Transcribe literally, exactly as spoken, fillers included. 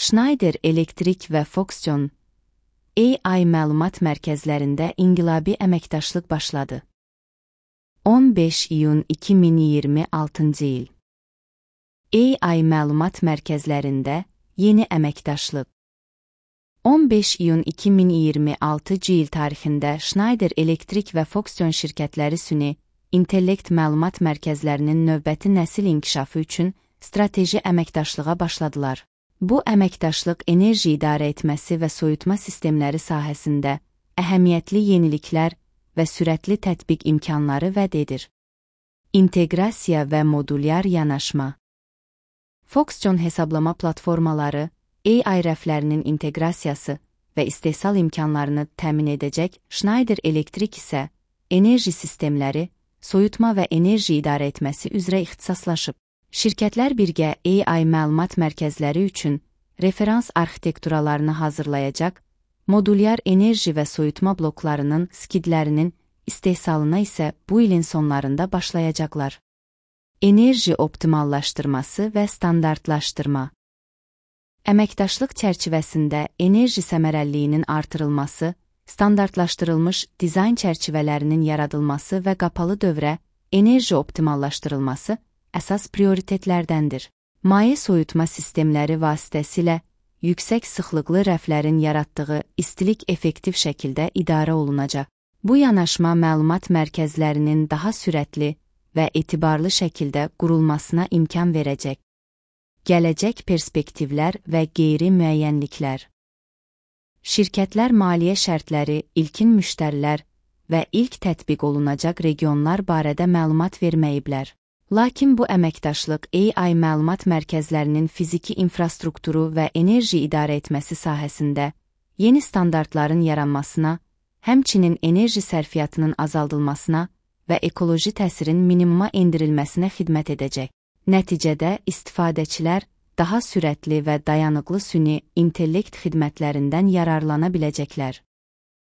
Schneider Electric və Foxconn A I məlumat mərkəzlərində inqilabi əməkdaşlıq başladı. on beş iyun iki min iyirmi altıncı il. A I məlumat mərkəzlərində yeni əməkdaşlıq. on beş iyun iki min iyirmi altıncı il tarixində Schneider Electric və Foxconn şirkətləri süni intellekt məlumat mərkəzlərinin növbəti nəsil inkişafı üçün strateji əməkdaşlığa başladılar. Bu əməkdaşlıq enerji idarə etməsi və soyutma sistemləri sahəsində əhəmiyyətli yeniliklər və sürətli tətbiq imkanları vəd edir. İnteqrasiya və modulyar yanaşma. Foxconn hesablama platformaları, A I rəflərinin inteqrasiyası və istehsal imkanlarını təmin edəcək, Schneider Electric isə enerji sistemləri, soyutma və enerji idarə etməsi üzrə ixtisaslaşıb. Şirkətlər birgə A I məlumat mərkəzləri üçün referans arxitekturalarını hazırlayacaq, modulyar enerji və soyutma bloklarının skidlərinin istehsalına isə bu ilin sonlarında başlayacaqlar. Enerji optimallaşdırması və standartlaşdırma. Əməkdaşlıq çərçivəsində enerji səmərəliliyinin artırılması, standartlaşdırılmış dizayn çərçivələrinin yaradılması və qapalı dövrə enerji optimallaşdırılması əsas prioritetlərdəndir. Maye soyutma sistemləri vasitəsilə yüksək sıxlıqlı rəflərin yaratdığı istilik effektiv şəkildə idarə olunacaq. Bu yanaşma məlumat mərkəzlərinin daha sürətli və etibarlı şəkildə qurulmasına imkan verəcək. Gələcək perspektivlər və qeyri-müəyyənliklər. Şirkətlər maliyyə şərtləri, ilkin müştərilər və ilk tətbiq olunacaq regionlar barədə məlumat verməyiblər. Lakin bu əməkdaşlıq A I məlumat mərkəzlərinin fiziki infrastrukturu və enerji idarə etməsi sahəsində yeni standartların yaranmasına, həmçinin enerji sərfiyyatının azaldılmasına və ekoloji təsirin minimuma endirilməsinə xidmət edəcək. Nəticədə istifadəçilər daha sürətli və dayanıqlı süni intellekt xidmətlərindən yararlana biləcəklər.